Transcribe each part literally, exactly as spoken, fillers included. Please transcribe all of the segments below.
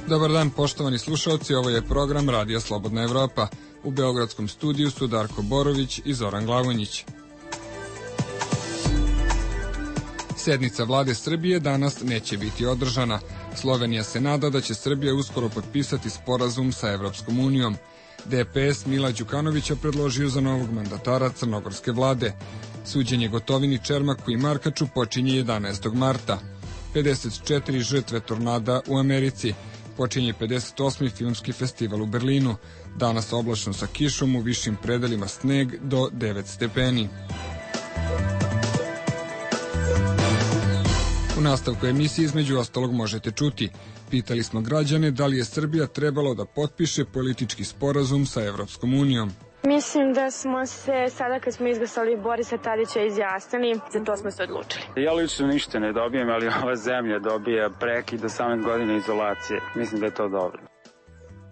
Dobar dan, poštovani slušalci, ovo je program Radija Slobodna Evropa. U beogradskom studiju su Darko Borović i Zoran Glavonjić. Sednica vlade Srbije danas neće biti održana. Slovenija se nada da će Srbija uskoro potpisati sporazum sa Evropskom unijom. D P S Mila Đukanovića predložio za novog mandatara crnogorske vlade. Suđenje Gotovini, Čermaku i Markaču počinje jedanaestog marta. pedeset četiri žrtve tornada u Americi. Počinje pedeset osmi filmski festival u Berlinu. Danas oblačno sa kišom, u višim predelima sneg do devet stepeni. U nastavku emisije između ostalog možete čuti. Pitali smo građane da li je Srbija trebalo da potpiše politički sporazum sa Evropskom unijom. Mislim da smo se sada kad smo izglasali Borisa Tadića izjasnili, za to smo se odlučili. Ja lično ništa ne dobijem, ali ova zemlja dobija prekid osamnaest godina izolacije. Mislim da je to dobro.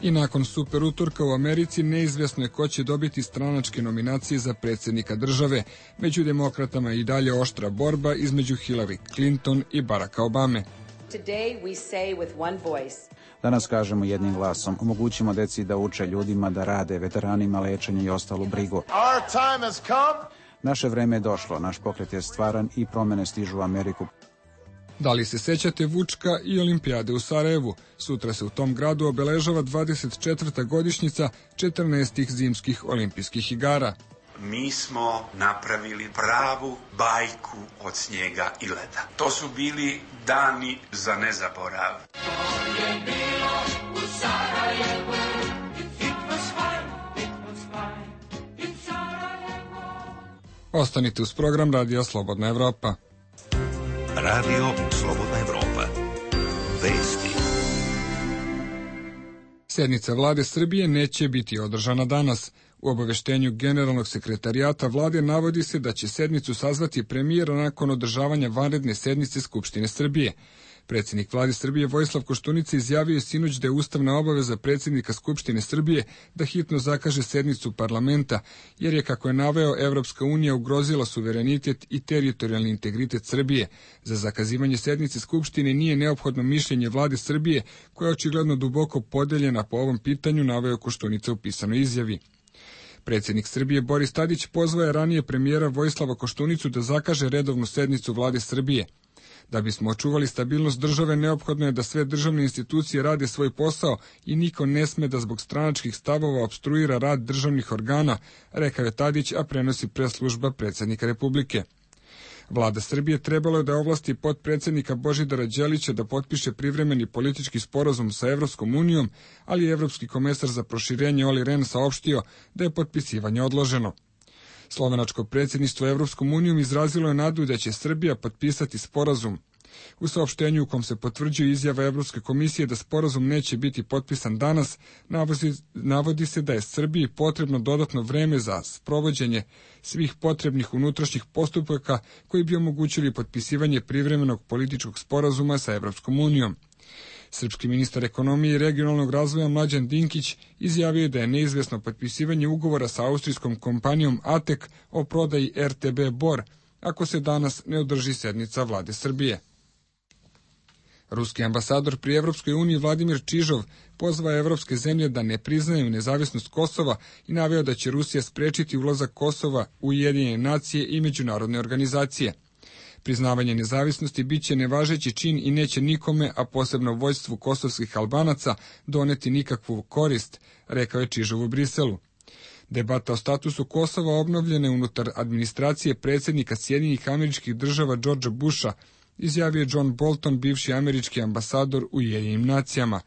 I nakon super utorka u Americi neizvesno je ko će dobiti stranačke nominacije za predsjednika države. Među demokratama i dalje oštra borba između Hillary Clinton i Baracka Obame. Today we say with one voice. Danas kažemo jednim glasom, omogućimo deci da uče, ljudima da rade, veteranima lečenje i ostalu brigu. Our time has come. Naše vreme je došlo, naš pokret je stvaran i promene stižu u Ameriku. Da li se sećate Vučka i olimpijade u Sarajevu? Sutra se u tom gradu obeležava dvadeset četvrta godišnjica četrnaestih zimskih olimpijskih igara. Mi smo napravili pravu bajku od snijega i leda. To su bili dani za nezaborav. To je bilo u Sarajevu. It was fine, it was fine in Sarajevu. Ostanite uz program Radija Slobodna Evropa. Radio Slobodna Evropa. Vesti. Sednica vlade Srbije neće biti održana danas. U obaveštenju generalnog sekretarijata vlade navodi se da će sednicu sazvati premijer nakon održavanja vanredne sednice Skupštine Srbije. Predsjednik vlade Srbije Vojislav Koštunica izjavio je sinoć da je ustavna obaveza predsjednika Skupštine Srbije da hitno zakaže sednicu parlamenta, jer je, kako je naveo, Evropska unija ugrozila suverenitet i teritorijalni integritet Srbije. Za zakazivanje sednice Skupštine nije neophodno mišljenje vlade Srbije, koja je očigledno duboko podeljena po ovom pitanju, naveo Koštunica u pisanoj izjavi. Predsjednik Srbije Boris Tadić pozvao je ranije premijera Vojislava Koštunicu da zakaže redovnu sednicu vlade Srbije. Da bismo očuvali stabilnost države, neophodno je da sve državne institucije rade svoj posao i niko ne sme da zbog stranačkih stavova opstruira rad državnih organa, rekao je Tadić, a prenosi press-služba predsjednika Republike. Vlada Srbije trebalo je da ovlasti potpredsjednika Božidara Đelića da potpiše privremeni politički sporazum sa Evropskom unijom, ali je Evropski komesar za proširenje Olli Rehn saopštio da je potpisivanje odloženo. Slovenačko predsjedništvo Evropskom unijom izrazilo je nadu da će Srbija potpisati sporazum. U saopštenju u kom se potvrđuje izjava Evropske komisije da sporazum neće biti potpisan danas, navodi, navodi se da je Srbiji potrebno dodatno vreme za sprovođenje svih potrebnih unutrašnjih postupaka koji bi omogućili potpisivanje privremenog političkog sporazuma sa Evropskom unijom. Srpski ministar ekonomije i regionalnog razvoja Mlađan Dinkić izjavio je da je neizvesno potpisivanje ugovora sa austrijskom kompanijom Atek o prodaji R T B Bor, ako se danas ne održi sednica vlade Srbije. Ruski ambasador pri Evropskoj uniji Vladimir Čižov pozvao evropske zemlje da ne priznaju nezavisnost Kosova i naveo da će Rusija sprečiti ulazak Kosova u Ujedinjene nacije i međunarodne organizacije. Priznavanje nezavisnosti biće nevažeći čin i neće nikome, a posebno vođstvu kosovskih Albanaca, doneti nikakvu korist, rekao je Čižov u Briselu. Debata o statusu Kosova obnovljene unutar administracije predsjednika Sjedinjenih Američkih Država Georgea Busha, izjavio je John Bolton, bivši američki ambasador u Ujedinjenim nacijama.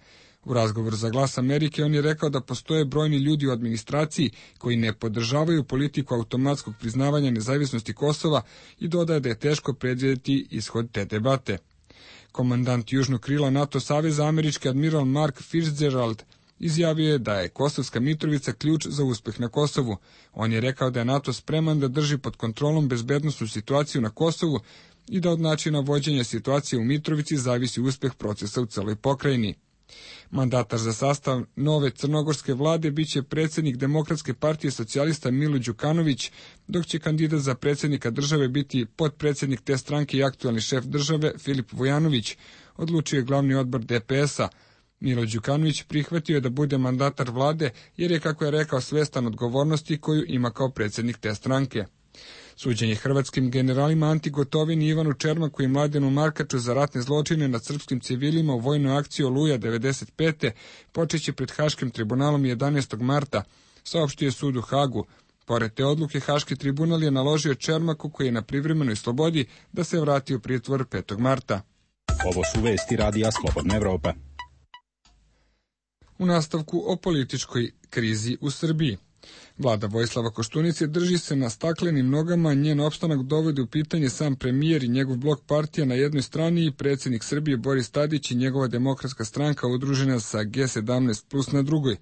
U razgovoru za Glas Amerike on je rekao da postoje brojni ljudi u administraciji koji ne podržavaju politiku automatskog priznavanja nezavisnosti Kosova i dodaje da je teško predvidjeti ishod te debate. Komandant južnog krila NATO saveza, američki admiral Mark Fitzgerald, izjavio je da je Kosovska Mitrovica ključ za uspeh na Kosovu. On je rekao da je NATO spreman da drži pod kontrolom bezbednosnu situaciju na Kosovu i da od načina vođenja situacije u Mitrovici zavisi uspeh procesa u celoj pokrajini. Mandatar za sastav nove crnogorske vlade biće predsjednik Demokratske partije socijalista Milo Đukanović, dok će kandidat za predsjednika države biti potpredsjednik te stranke i aktualni šef države Filip Vujanović, odlučio je glavni odbor D P S-a. Milo Đukanović prihvatio je da bude mandatar vlade jer je, kako je rekao, svestan odgovornosti koju ima kao predsjednik te stranke. Suđenje hrvatskim generalima Anti Gotovini i Ivanu Čermaku i Mladenu Markaču za ratne zločine nad srpskim civilima u vojnoj akciji Oluja devedeset pete počeće pred Haškim tribunalom jedanaestog marta, saopštio je sud u Hagu. Pored te odluke, Haški tribunal je naložio Čermaku, koji je na privremenoj slobodi, da se vrati u pritvor petog marta. Ovo su vesti Radija Slobodna Evropa. U nastavku o političkoj krizi u Srbiji. Vlada Vojislava Koštunice drži se na staklenim nogama, njen opstanak dovodi u pitanje sam premijer i njegov blok partija na jednoj strani i predsjednik Srbije Boris Tadić i njegova demokratska stranka udružena sa G sedamnaest plus na drugoj.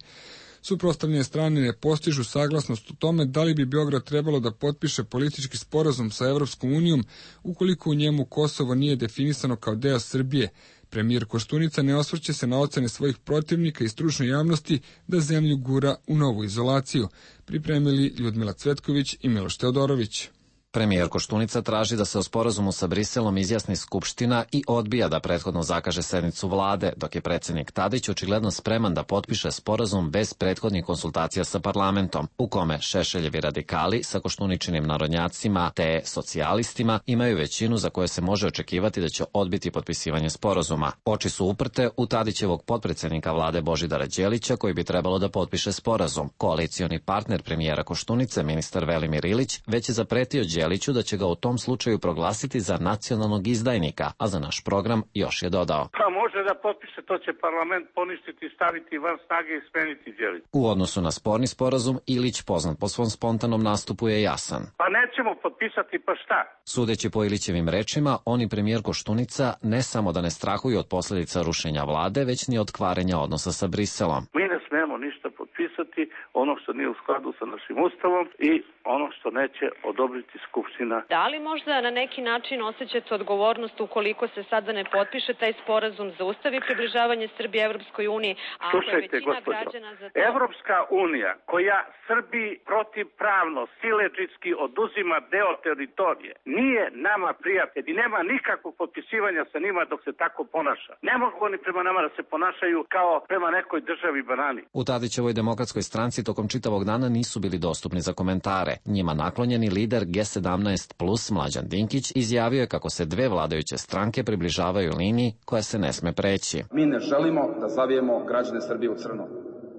Suprotstavljene strane ne postižu saglasnost u tome da li bi Beograd trebalo da potpiše politički sporazum sa Evropskom unijom ukoliko u njemu Kosovo nije definisano kao deo Srbije. Premijer Koštunica ne osvrće se na ocene svojih protivnika i stručne javnosti da zemlju gura u novu izolaciju. Pripremili Ljudmila Cvetković i Miloš Teodorović. Premijer Koštunica traži da se o sporazumu sa Briselom izjasni Skupština i odbija da prethodno zakaže sednicu vlade, dok je predsjednik Tadić očigledno spreman da potpiše sporazum bez prethodnih konsultacija sa parlamentom, u kome Šešeljevi radikali sa Koštuničinim narodnjacima te socijalistima imaju većinu za koje se može očekivati da će odbiti potpisivanje sporazuma. Oči su uprte u Tadićevog potpredsjednika vlade Božidara Đelića, koji bi trebalo da potpiše sporazum. Koalicioni partner premijera Koštunice, ministar Velimir Ilić, već je zapretio Đeliću da će ga u tom slučaju proglasiti za nacionalnog izdajnika, a za naš program još je dodao: Pa može da potpiše, to će parlament poništiti, staviti van snage i smeniti Đelić. U odnosu na sporni sporazum, Ilić, poznat po svom spontanom nastupu, je jasan. Pa nećemo potpisati, pa šta? Sudeći po Ilićevim rečima, on i premijer Koštunica ne samo da ne strahuju od posljedica rušenja vlade, već ni od kvarenja odnosa sa Briselom. Mi ne smemo ništa potpisati, ono što nije u skladu sa našim ustavom i ono što neće odobriti Skupština. Da li možda na neki način osjećate odgovornost ukoliko se sada ne potpiše taj sporazum, zaustavi približavanje Srbije Evropskoj uniji, a ako je većina građana za to... Evropska unija koja Srbiji protivpravno, siledžitski oduzima deo teritorije, nije nama prijatelj i nema nikakvog potpisivanja sa njima dok se tako ponaša. Ne mogu oni prema nama da se ponašaju kao prema nekoj državi banani. U Tadićevoj demokratskoj stranci tokom čitavog dana nisu bili dostupni za komentare. Njima naklonjeni lider G sedamnaest plus Mlađan Dinkić izjavio je kako se dve vladajuće stranke približavaju liniji koja se ne sme preći. Mi ne želimo da zavijemo građane Srbije u crno,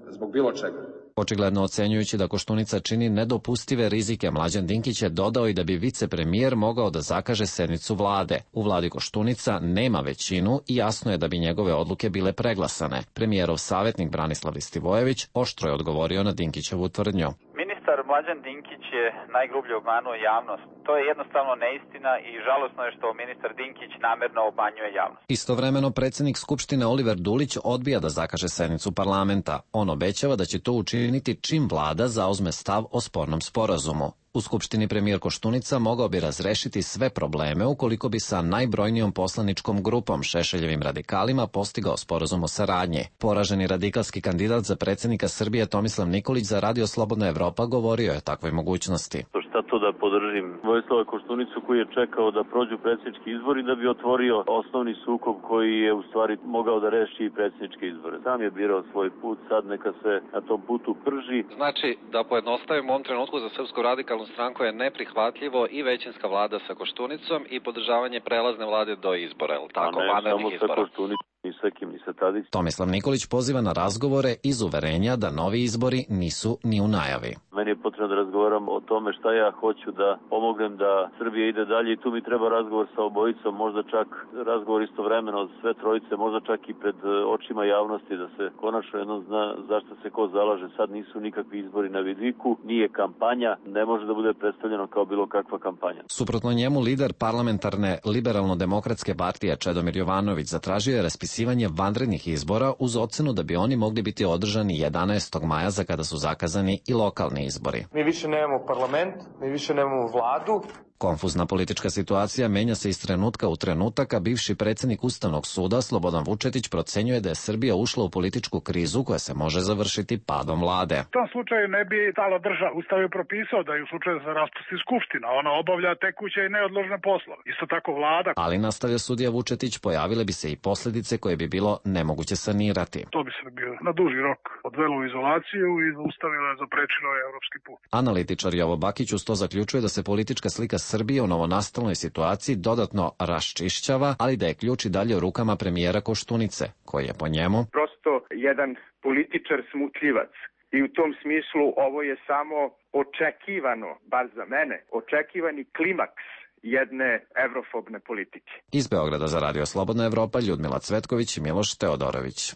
zbog bilo čega. Očigledno ocenjujući da Koštunica čini nedopustive rizike, Mlađan Dinkić je dodao i da bi vicepremijer mogao da zakaže sednicu vlade. U vladi Koštunica nema većinu i jasno je da bi njegove odluke bile preglasane. Premijerov savjetnik Branislav Listivojević oštro je odgovorio na Dinkićevu tvrdnju. Ministar Mlađan Dinkić je najgrublje obmanuo javnost. To je jednostavno neistina i žalosno je što ministar Dinkić namerno obmanjuje javnost. Istovremeno, predsjednik Skupštine Oliver Dulić odbija da zakaže sednicu parlamenta. On obećava da će to učiniti čim vlada zauzme stav o spornom sporazumu. U Skupštini premijer Koštunica mogao bi razrešiti sve probleme ukoliko bi sa najbrojnijom poslaničkom grupom Šešeljevim radikalima postigao sporazum o saradnji. Poraženi radikalski kandidat za predsjednika Srbije Tomislav Nikolić za Radio Slobodna Evropa govorio je o takvoj mogućnosti. Šta to da podržim Vojislava Koštunicu koji je čekao da prođu predsjednički izbori da bi otvorio osnovni sukob koji je u stvari mogao da reši i predsjedničke izbore. Sam je birao svoj put, sad neka se na tom putu prži. Znači, da pojednostavimo, u ovom trenutku za Srpsku radikalnu stranku je neprihvatljivo i većinska vlada sa Koštunicom i podržavanje prelazne vlade do izbora, je li tako? A ne, samo sa Koštunicom, ni sa kim, ni sa Tadić. Tomislav Nikolić poziva na razgovore iz uverenja da novi izbori nisu ni u najavi. Meni je potrebno da razgovaram o tome šta ja hoću da pomognem da Srbija ide dalje i tu mi treba razgovor sa obojicom, možda čak razgovor istovremeno od sve trojice, možda čak i pred očima javnosti da se konačno jednom zna zašto se ko zalaže. Sad nisu nikakvi izbori na vidiku, nije kampanja, ne može da bude predstavljeno kao bilo kakva kampanja. Suprotno njemu, lider parlamentarne liberalno-demokratske partije Čedomir Jovanović zatražio je raspisivanje vanrednih izbora uz ocenu da bi oni mogli biti održani jedanaestog maja za kada su zakazani i lokalni izbori. Mi više nemamo parlament, mi više nemamo vladu Konfuzna politička situacija menja se iz trenutka u trenutak, a bivši predsjednik Ustavnog suda Slobodan Vučetić procenjuje da je Srbija ušla u političku krizu koja se može završiti padom vlade. U tom slučaju ne bi stala država. Ustav je propisao da je u slučaju za raspusti skupština, ona obavlja tekuće i neodložne poslove. Isto tako vlada. Ali, nastavlja sudija Vučetić, pojavile bi se i posljedice koje bi bilo nemoguće sanirati. To bi se bio na duži rok odvelo u izolaciju i zaustavilo je, zaprečilo je evropski put. Analitičar Jovo Bakić uz to zaključuje da se politička slika Srbije u novonastalnoj situaciji dodatno raščišćava, ali da je ključ i dalje u rukama premijera Koštunice, koji je po njemu prosto jedan političar smutljivac. I u tom smislu ovo je samo očekivano, bar za mene, očekivani klimaks jedne evrofobne politike. Iz Beograda za Radio Slobodna Evropa Ljudmila Cvetković i Miloš Teodorović.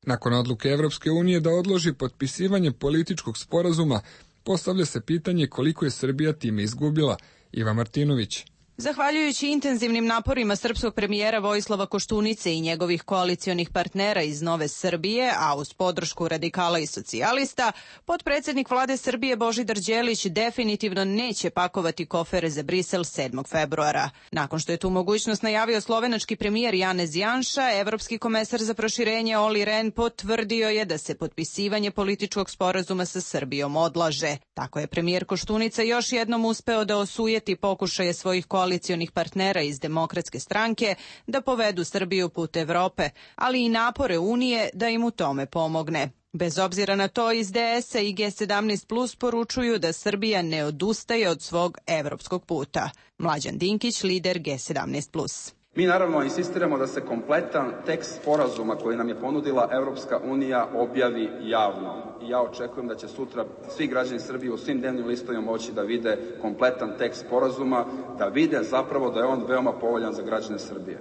Nakon odluke Evropske unije da odloži potpisivanje političkog sporazuma, postavlja se pitanje koliko je Srbija time izgubila. Iva Martinović. Zahvaljujući intenzivnim naporima srpskog premijera Vojislava Koštunice i njegovih koalicionih partnera iz Nove Srbije, a uz podršku radikala i socijalista, potpredsjednik vlade Srbije Božidar Đelić definitivno neće pakovati kofere za Brisel sedmog februara. Nakon što je tu mogućnost najavio slovenački premijer Janez Janša, evropski komesar za proširenje Olli Rehn potvrdio je da se potpisivanje političkog sporazuma sa Srbijom odlaže. Tako je premijer Koštunica još jednom uspeo da osujeti pokušaje svojih koalicionih koalicionih partnera iz Demokratske stranke da povedu Srbiju put Evrope, ali i napore Unije da im u tome pomogne. Bez obzira na to, iz D S-a i G sedamnaest plus poručuju da Srbija ne odustaje od svog evropskog puta. Mlađan Dinkić, lider G sedamnaest plus. Mi naravno insistiramo da se kompletan tekst sporazuma koji nam je ponudila Evropska unija objavi javno. I ja očekujem da će sutra svi građani Srbije u svim dnevnim listovima moći da vide kompletan tekst sporazuma, da vide zapravo da je on veoma povoljan za građane Srbije.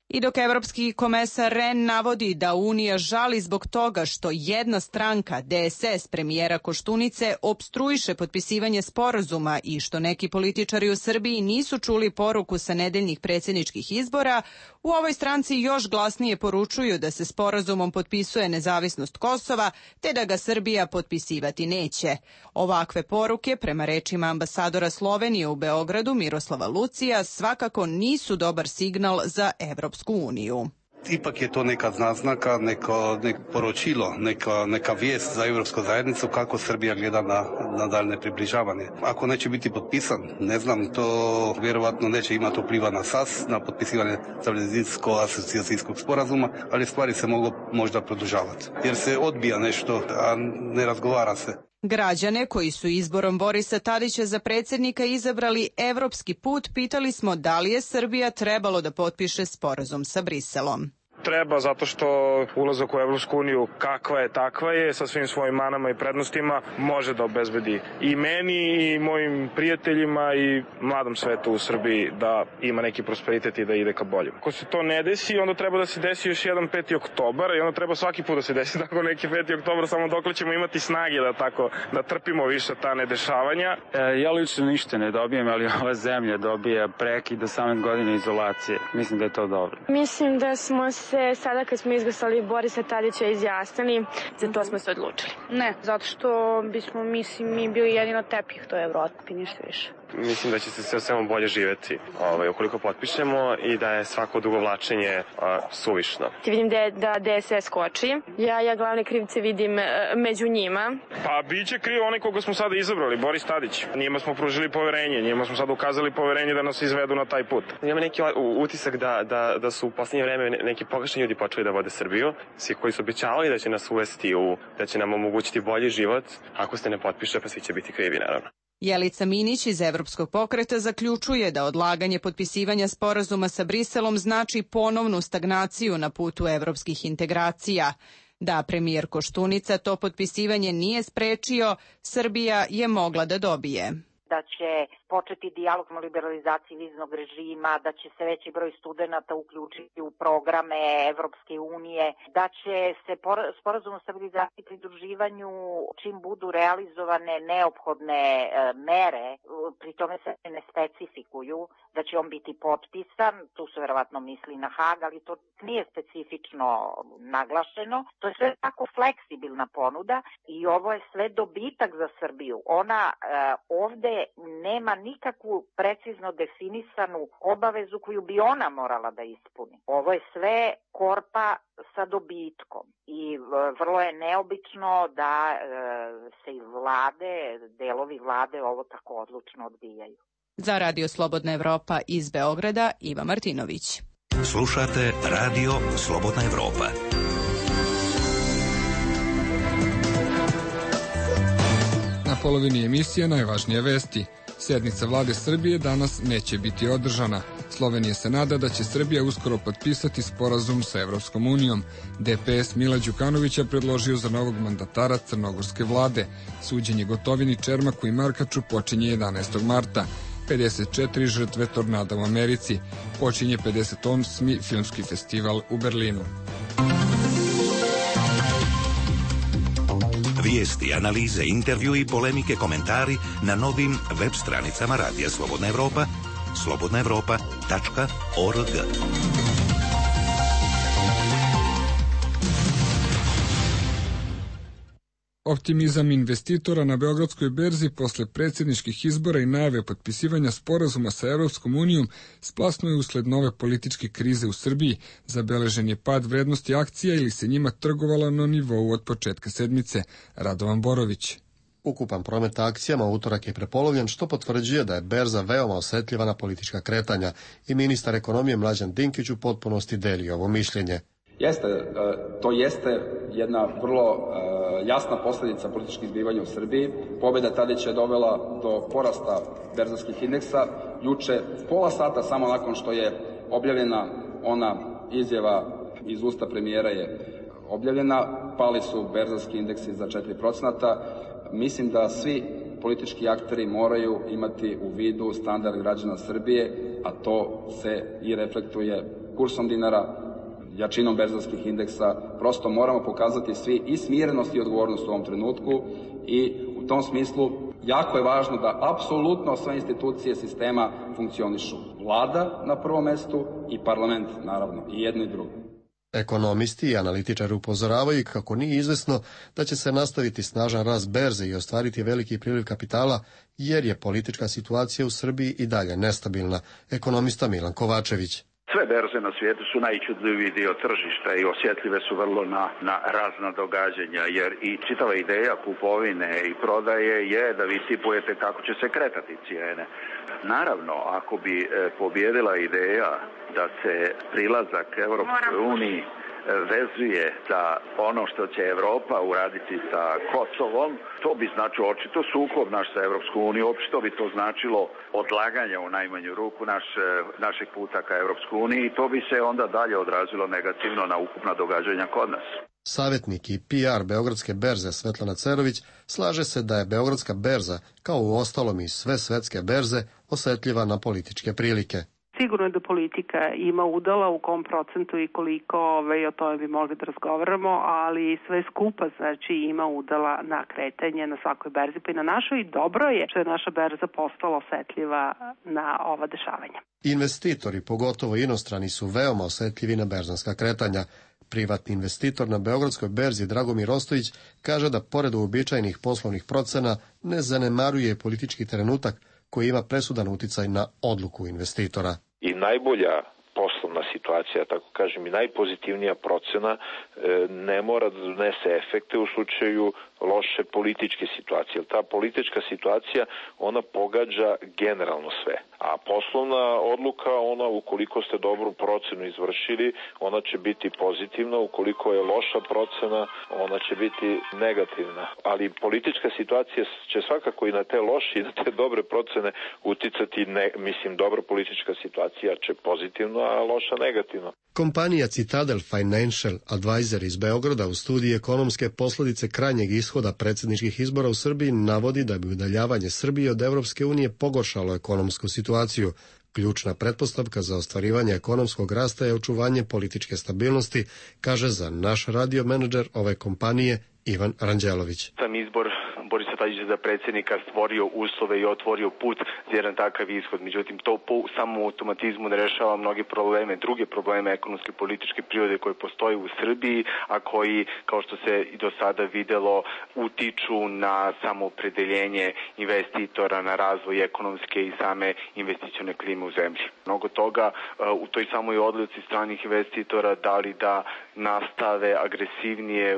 I dok evropski komesar Rehn navodi da Unija žali zbog toga što jedna stranka, D S S premijera Koštunice, opstruiše potpisivanje sporazuma i što neki političari u Srbiji nisu čuli poruku sa nedeljnih predsjedničkih izbora, u ovoj stranci još glasnije poručuju da se sporazumom potpisuje nezavisnost Kosova, te da ga Srbija potpisivati neće. Ovakve poruke, prema rečima ambasadora Slovenije u Beogradu Miroslava Lucija, svakako nisu dobar signal za Evropsku uniju. Ipak je to neka naznaka, neko, neko poročilo, neka, neka vijest za Evropsku zajednicu kako Srbija gleda na, na daljne približavanje. Ako neće biti potpisan, ne znam, to vjerovatno neće imati vpliva na S A S, na potpisivanje stabilizacijsko-asocijacijskog sporazuma, ali stvari se mogu možda produžavati. Jer se odbija nešto, a ne razgovara se. Građane koji su izborom Borisa Tadića za predsjednika izabrali evropski put, pitali smo da li je Srbija trebalo da potpiše sporazum sa Briselom. Treba, zato što ulazak u Evropsku uniju kakva je takva je, sa svim svojim manama i prednostima, može da obezbedi i meni i mojim prijateljima i mladom svetu u Srbiji da ima neki prosperitet i da ide ka boljem. Ako se to ne desi, onda treba da se desi još jedan peti oktobar i onda treba svaki put da se desi tako neki peti oktobar, samo dok ćemo imati snage da tako, da trpimo više ta nedešavanja. E, ja lično ništa ne dobijem, ali ova zemlja dobija prekid osamnaest godina izolacije. Mislim da je to dobro. Mislim da smo se sada kad smo izglasali Borisa Tadića izjasnili, za to smo se odlučili. Ne, zato što bismo mislim, mi bili jedino tepih to je Evropi, ništa više. Mislim da će se sve svemu bolje živeti ovaj, ukoliko potpišemo i da je svako dugovlačenje a, suvišno. Ti vidim da, da D S S koči. Ja, ja glavne krivce vidim e, među njima. Pa biće kriv onaj koga smo sada izabrali, Boris Tadić. Njima smo pružili poverenje, njima smo sada ukazali poverenje da nas izvedu na taj put. Imam neki utisak da, da, da su u posljednje vreme neki pogrešni ljudi počeli da vode Srbiju. Svi koji su obećavali da će nas uvesti u, da će nam omogućiti bolji život, ako se ne potpiše, pa svi će biti krivi, naravno. Jelica Minić iz Evropskog pokreta zaključuje da odlaganje potpisivanja sporazuma sa Briselom znači ponovnu stagnaciju na putu evropskih integracija. Da premijer Koštunica to potpisivanje nije sprečio, Srbija je mogla da dobije. Da će početi dijalog o liberalizaciji viznog režima, da će se veći broj studenata uključiti u programe Evropske unije, da će se sporazum o stabilizaciji i pridruživanju, čim budu realizovane neophodne e, mere, pri tome se ne specifikuju, da će on biti potpisan, tu se verovatno misli na Hag, ali to nije specifično naglašeno. To je sve tako fleksibilna ponuda i ovo je sve dobitak za Srbiju. Ona e, ovde nema nikakvu precizno definisanu obavezu koju bi ona morala da ispuni. Ovo je sve korpa sa dobitkom i vrlo je neobično da se iz vlade, delovi vlade ovo tako odlučno odbijaju. Za Radio Slobodna Evropa iz Beograda, Iva Martinović. Slušate Radio Slobodna Evropa. Na polovini emisije najvažnije vesti. Sednica vlade Srbije danas neće biti održana. Slovenija se nada da će Srbija uskoro potpisati sporazum sa Evropskom unijom. D P S Mila Đukanovića predložio za novog mandatara crnogorske vlade. Suđenje Gotovini, Čermaku i Markaču počinje jedanaestog marta. pedeset četiri žrtve tornada u Americi. Počinje pedeset osmi filmski festival u Berlinu. Vijesti, analize, intervju i polemike, komentari na novim web stranicama Radija Slobodna Evropa, slobodna evropa tačka org. Optimizam investitora na Beogradskoj berzi posle predsjedničkih izbora i najave potpisivanja sporazuma sa Evropskom unijom splasno je usled nove političke krize u Srbiji. Zabeležen je pad vrednosti akcija ili se njima trgovalo na nivou od početka sedmice. Radovan Borović. Ukupan promet akcijama u utorak je prepolovljen, što potvrđuje da je berza veoma osetljiva na politička kretanja i ministar ekonomije Mlađan Dinkić u potpunosti deli ovo mišljenje. Jeste, to jeste jedna vrlo jasna posljedica političkih zbivanja u Srbiji. Pobjeda Tadića je dovela do porasta berzovskih indeksa. Juče, pola sata samo nakon što je objavljena ona izjava iz usta premijera je objavljena, pali su berzovski indeksi za četiri procenta. Mislim da svi politički akteri moraju imati u vidu standard građana Srbije, a to se i reflektuje kursom dinara, jačinom berzovskih indeksa. Prosto moramo pokazati svi i smirenost i odgovornost u ovom trenutku i u tom smislu jako je važno da apsolutno sve institucije sistema funkcionišu. Vlada na prvom mestu i parlament, naravno, i jedno i drugo. Ekonomisti i analitičari upozoravaju kako nije izvesno da će se nastaviti snažan rast berze i ostvariti veliki priliv kapitala, jer je politička situacija u Srbiji i dalje nestabilna. Ekonomista Milan Kovačević. Sve berze na svijetu su najčudljiviji dio tržišta i osjetljive su vrlo na, na razna događanja, jer i čitava ideja kupovine i prodaje je da vi tipujete kako će se kretati cijene. Naravno, ako bi e, pobjedila ideja da se prilazak Evropskoj uniji vezuje za ono što će Evropa uraditi sa Kosovom, to bi značilo očito sukob naš sa Evropskom unijom, očito bi to značilo odlaganje u najmanju ruku naš, našeg puta ka Evropskoj uniji i to bi se onda dalje odrazilo negativno na ukupna događanja kod nas. Savjetnik i P R Beogradske berze Svetlana Cerović slaže se da je Beogradska berza, kao u ostalom i sve svetske berze, osetljiva na političke prilike. Sigurno je da politika ima udala u kom procentu i koliko, ove, o tome bi mogli da razgovaramo, ali sve skupa znači ima udala na kretanje na svakoj berzi, pa i na našoj, i dobro je što je naša berza postala osetljiva na ova dešavanja. Investitori, pogotovo inostrani, su veoma osetljivi na berzanska kretanja. Privatni investitor na Beogradskoj berzi Dragomir Ostojić kaže da pored uobičajenih poslovnih procena ne zanemaruje politički trenutak koji ima presudan uticaj na odluku investitora. I najbolja poslovna situacija, tako kažem, i najpozitivnija procena ne mora da donese efekte u slučaju loše političke situacije. Jer ta politička situacija, ona pogađa generalno sve. A poslovna odluka, ona ukoliko ste dobru procenu izvršili, ona će biti pozitivna, ukoliko je loša procena, ona će biti negativna. Ali politička situacija će svakako i na te loše i na te dobre procene uticati, ne, mislim, dobra politička situacija će pozitivno, a loša negativno. Kompanija Citadel Financial Advisor iz Beograda u studiji ekonomske posljedice krajnjeg ishoda predsjedničkih izbora u Srbiji navodi da bi udaljavanje Srbije od Evropske unije pogoršalo ekonomsku situaciju. Ključna pretpostavka za ostvarivanje ekonomskog rasta je očuvanje političke stabilnosti, kaže za naš radio menadžer ove kompanije Ivan Ranđelović. Sam izbor Borisa Tadića za predsjednika stvorio uslove i otvorio put za jedan takav ishod. Međutim, to po samom automatizmu ne rešava mnoge probleme, druge probleme ekonomske i političke prirode koje postoje u Srbiji, a koji, kao što se i do sada videlo, utiču na samoopredeljenje investitora, na razvoj ekonomske i same investicione klime u zemlji. Mnogo toga u toj samoj odluci stranih investitora da li da nastave agresivnije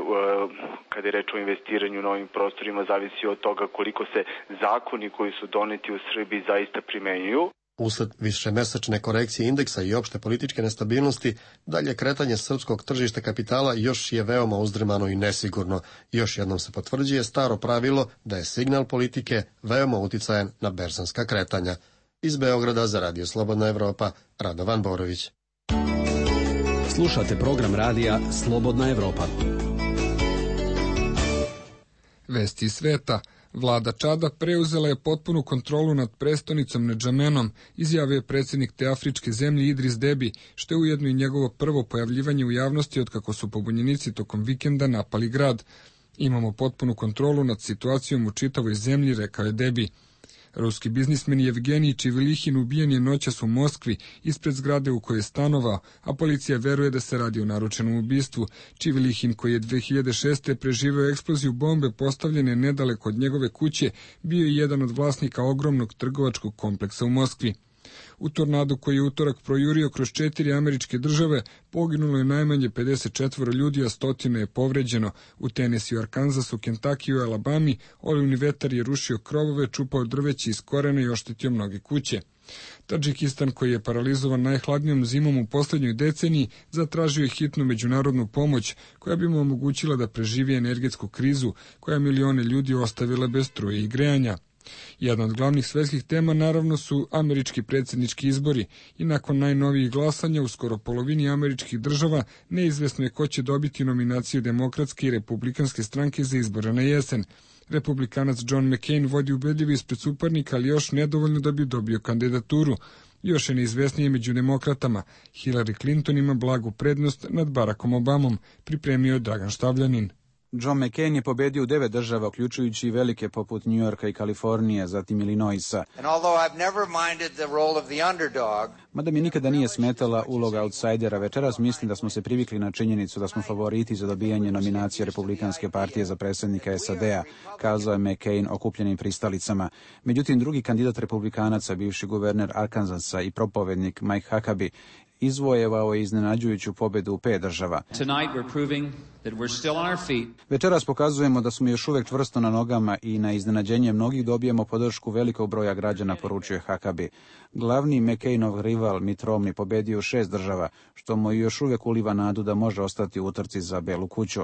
kada je reč o investiranju u novim prostorima zavisi od toga koliko se zakoni koji su doneti u Srbiji zaista primenjuju. Usled višemesečne korekcije indeksa i opšte političke nestabilnosti, dalje kretanje srpskog tržišta kapitala još je veoma uzdrmano i nesigurno. Još jednom se potvrđuje staro pravilo da je signal politike veoma uticajan na berzanska kretanja. Iz Beograda za Radio Slobodna Evropa, Radovan Borović. Slušate program radija Slobodna Evropa. Vesti iz sveta. Vlada Čada preuzela je potpunu kontrolu nad prestonicom Nedžamenom, izjavio je predsjednik te afričke zemlje Idris Debi, što je ujedno i njegovo prvo pojavljivanje u javnosti otkako su pobunjenici tokom vikenda napali grad. Imamo potpunu kontrolu nad situacijom u čitavoj zemlji, rekao je Debi. Ruski biznismen Jevgenij Čivilihin ubijen je noćas u Moskvi ispred zgrade u kojoj je stanovao, a policija veruje da se radi o naručenom ubistvu. Čivilihin, koji je dve hiljade šeste. preživeo eksploziju bombe postavljene nedaleko od njegove kuće, bio je jedan od vlasnika ogromnog trgovačkog kompleksa u Moskvi. U tornadu koji je utorak projurio kroz četiri američke države poginulo je najmanje pedeset četiri ljudi, a stotine je povređeno. U Tenesiju, Arkansasu, Kentakiju i Alabami olivni vetar je rušio krovove, čupao drveće iz korena i oštetio mnoge kuće. Tadžikistan, koji je paralizovan najhladnijom zimom u posljednjoj deceniji, zatražio je hitnu međunarodnu pomoć koja bi mu omogućila da preživi energetsku krizu koja milione ljudi ostavila bez struje i grejanja. Jedna od glavnih svetskih tema naravno su američki predsjednički izbori i nakon najnovijih glasanja u skoro polovini američkih država neizvesno je ko će dobiti nominaciju demokratske i republikanske stranke za izbore na jesen. Republikanac John McCain vodi ubedljivo ispred suparnika, ali još nedovoljno da bi dobio kandidaturu. Još je neizvesnije među demokratama. Hillary Clinton ima blagu prednost nad Barackom Obamom, pripremio Dragan Štavljanin. John McCain je pobedio u devet država, uključujući i velike poput New Yorka i Kalifornije, zatim Illinoisa. Mada mi nikada nije smetala uloga outsidera, večeras mislim da smo se privikli na činjenicu da smo favoriti za dobijanje nominacije Republikanske partije za predsjednika S A D-a, kazao je McCain okupljenim pristalicama. Međutim, drugi kandidat republikanaca, bivši guverner Arkansasa i propovednik Mike Huckabee, izvojevao je iznenađujuću pobedu u pet država. Večeras pokazujemo da smo još uvek čvrsto na nogama i na iznenađenje mnogih dobijemo podršku velikog broja građana, poručuje Huckabee. Glavni McCainov rival Mitt Romney pobedio u šest država, što mu još uvek uliva nadu da može ostati u utrci za Belu kuću.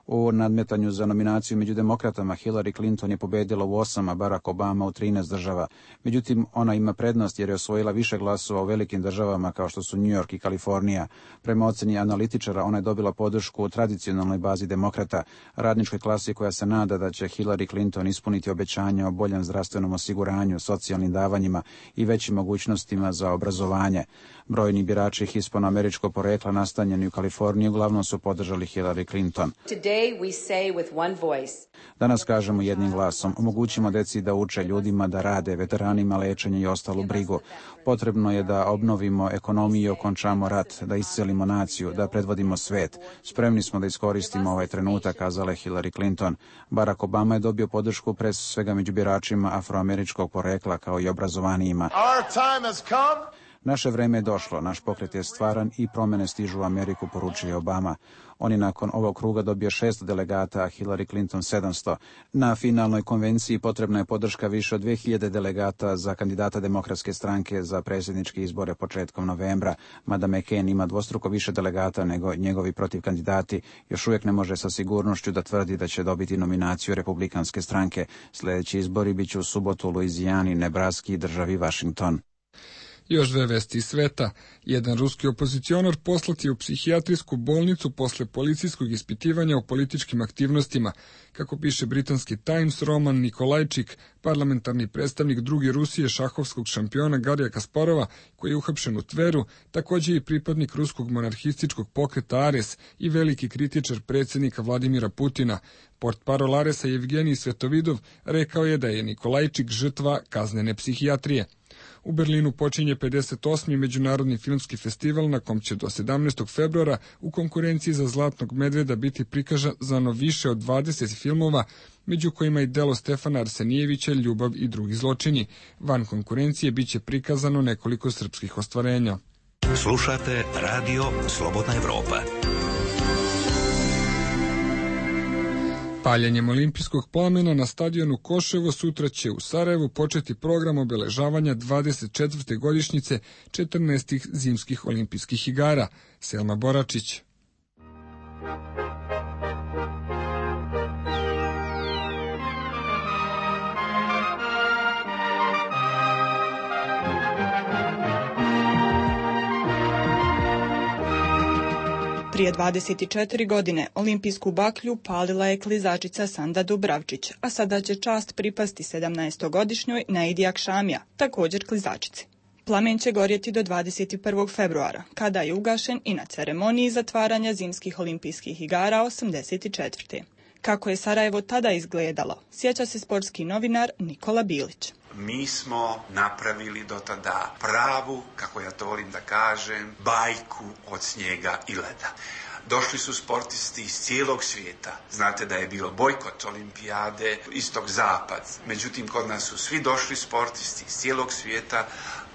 U nadmetanju za nominaciju među demokratama Hillary Clinton je pobedila u osam, a Barack Obama u trinaest država. Međutim, ona ima prednost jer je osvojila više glasova u velikim državama kao što su New York i Kalifornija. Prema oceni analitičara, ona je dobila podršku u tradicionalnoj bazi demokrata, radničkoj klasi koja se nada da će Hillary Clinton ispuniti obećanja o boljem zdravstvenom osiguranju, socijalnim davanjima i većim mogućnostima za obrazovanje. Brojni birači hispanoameričkog porekla nastanjeni u Kaliforniji uglavnom su podržali Hillary Clinton. Danas kažemo jednim glasom, omogućimo deci da uče, ljudima da rade, veteranima lečenje i ostalu brigu. Potrebno je da obnovimo ekonomiju i okončamo rat, da iscelimo naciju, da predvodimo svet. Spremni smo da iskoristimo ovaj trenutak, kazala je Hillary Clinton. Barack Obama je dobio podršku pre svega među biračima afroameričkog porekla kao i obrazovanijima. Naše vreme je došlo, naš pokret je stvaran i promene stižu u Ameriku, poručuje Obama. On je nakon ovog kruga dobio šesto delegata, a Hillary Clinton sedamsto. Na finalnoj konvenciji potrebna je podrška više od dve hiljade delegata za kandidata Demokratske stranke za predsjedničke izbore početkom novembra. Mada McCain ima dvostruko više delegata nego njegovi protivkandidati, još uvijek ne može sa sigurnošću da tvrdi da će dobiti nominaciju Republikanske stranke. Sljedeći izbori biće u subotu u Luizijani, Nebraski i državi Washington. Još dve vesti iz sveta. Jedan ruski opozicionar poslat je u psihijatrijsku bolnicu posle policijskog ispitivanja o političkim aktivnostima. Kako piše britanski Times, Roman Nikolajčik, parlamentarni predstavnik druge Rusije šahovskog šampiona Garija Kasparova, koji je uhapšen u Tveru, također i pripadnik ruskog monarhističkog pokreta Ares i veliki kritičar predsjednika Vladimira Putina. Portparol Aresa Evgenij Svetovidov rekao je da je Nikolajčik žrtva kaznene psihijatrije. U Berlinu počinje pedeset osmi Međunarodni filmski festival na kom će do sedamnaestog februara u konkurenciji za Zlatnog medveda biti prikazano više od dvadeset filmova, među kojima i delo Stefana Arsenijevića Ljubav i drugi zločini. Van konkurencije biće prikazano nekoliko srpskih ostvarenja. Slušate Radio Slobodna Evropa. Paljenjem olimpijskog plamena na stadionu Koševo sutra će u Sarajevu početi program obeležavanja dvadeset četvrte godišnjice četrnaestih zimskih olimpijskih igara. Selma Boračić. Prije dvadeset četiri godine olimpijsku baklju palila je klizačica Sanda Dubravčić, a sada će čast pripasti sedamnaestogodišnjoj Naidi Akšamija, također klizačici. Plamen će gorjeti do dvadeset prvog februara, kada je ugašen i na ceremoniji zatvaranja zimskih olimpijskih igara osamdeset četvrte. Kako je Sarajevo tada izgledalo, sjeća se sportski novinar Nikola Bilić. Mi smo napravili do tada pravu, kako ja to volim da kažem, bajku od snijega i leda. Došli su sportisti iz cijelog svijeta. Znate da je bilo bojkot olimpijade, istok-zapad. Međutim, kod nas su svi došli sportisti iz cijelog svijeta.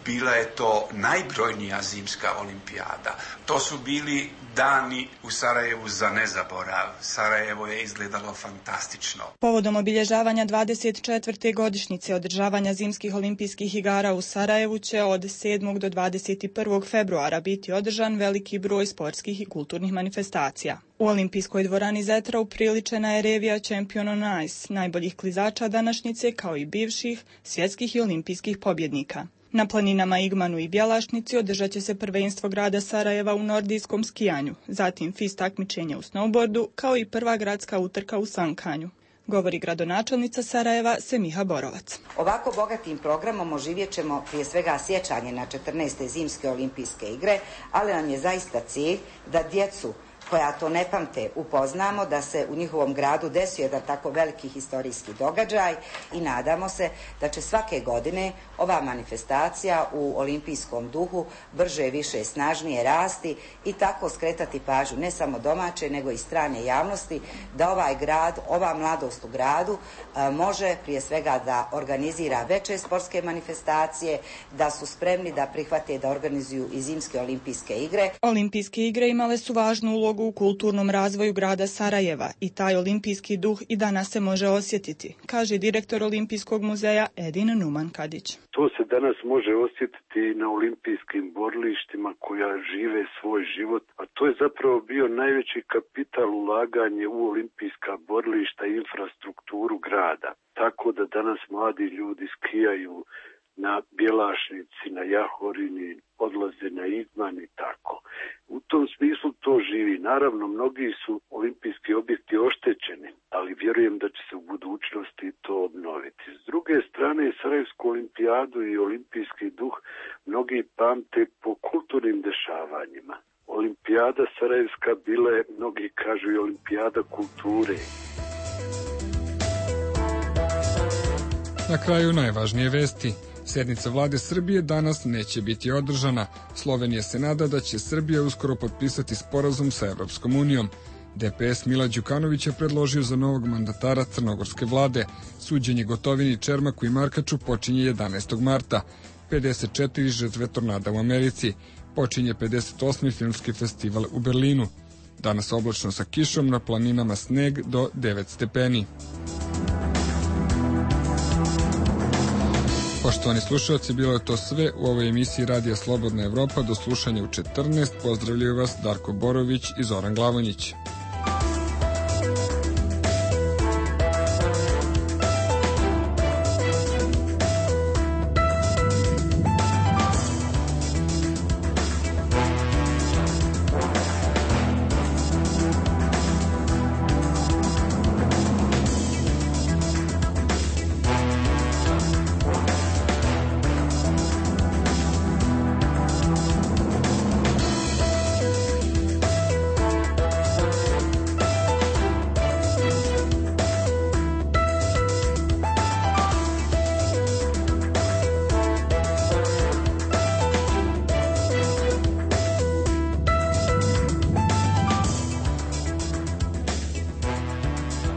Bila je to najbrojnija zimska olimpijada. To su bili dani u Sarajevu za nezaborav. Sarajevo je izgledalo fantastično. Povodom obilježavanja dvadeset četvrte godišnjice održavanja zimskih olimpijskih igara u Sarajevu će od sedmog do dvadeset prvog februara biti održan veliki broj sportskih i kulturnih manifestacija. U olimpijskoj dvorani Zetra upriličena je revija Champion on Ice, najboljih klizača današnjice kao i bivših svjetskih i olimpijskih pobjednika. Na planinama Igmanu i Bjelašnici održat će se prvenstvo grada Sarajeva u nordijskom skijanju, zatim F I S takmičenje u snowboardu, kao i prva gradska utrka u sankanju. Govori gradonačelnica Sarajeva Semiha Borovac. Ovako bogatim programom oživjet ćemo prije svega sjećanje na četrnaeste zimske olimpijske igre, ali nam je zaista cilj da djecu koja to ne pamte upoznamo, da se u njihovom gradu desio jedan tako veliki historijski događaj i nadamo se da će svake godine ova manifestacija u olimpijskom duhu brže, više, snažnije rasti i tako skretati pažnju ne samo domaće nego i strane javnosti da ovaj grad, ova mladost u gradu može prije svega da organizira veće sportske manifestacije, da su spremni da prihvate da organizuju i zimske olimpijske igre. Olimpijske igre imale su važnu ulogu u kulturnom razvoju grada Sarajeva i taj olimpijski duh i danas se može osjetiti, kaže direktor Olimpijskog muzeja Edin Numan Kadić. To se danas može osjetiti na olimpijskim borilištima koja žive svoj život, a to je zapravo bio najveći kapital ulaganje u olimpijska borilišta i infrastrukturu grada. Tako da danas mladi ljudi skijaju na Bjelašnici, na Jahorini, odlaze na Igman i tako. U tom smislu to živi. Naravno, mnogi su olimpijski objekti oštećeni, ali vjerujem da će se u budućnosti to obnoviti. S druge strane, Sarajevsku olimpijadu i olimpijski duh mnogi pamte po kulturnim dešavanjima. Olimpijada Sarajevska bila je, mnogi kažu, i olimpijada kulture. Na kraju najvažnije vesti. Sednica vlade Srbije danas neće biti održana. Slovenija se nada da će Srbija uskoro potpisati sporazum sa Evropskom unijom. D P S Mila Đukanović je predložio za novog mandatara crnogorske vlade. Suđenje Gotovini, Čermaku i Markaču počinje jedanaestog marta. pedeset četiri žrtve tornada u Americi. Počinje pedeset osmi filmski festival u Berlinu. Danas oblačno sa kišom, na planinama sneg do devet stepeni. Poštovani slušalci, bilo je to sve u ovoj emisiji Radija Slobodna Evropa. Do slušanja u četrnaest. Pozdravljaju vas Darko Borović i Zoran Glavonjić.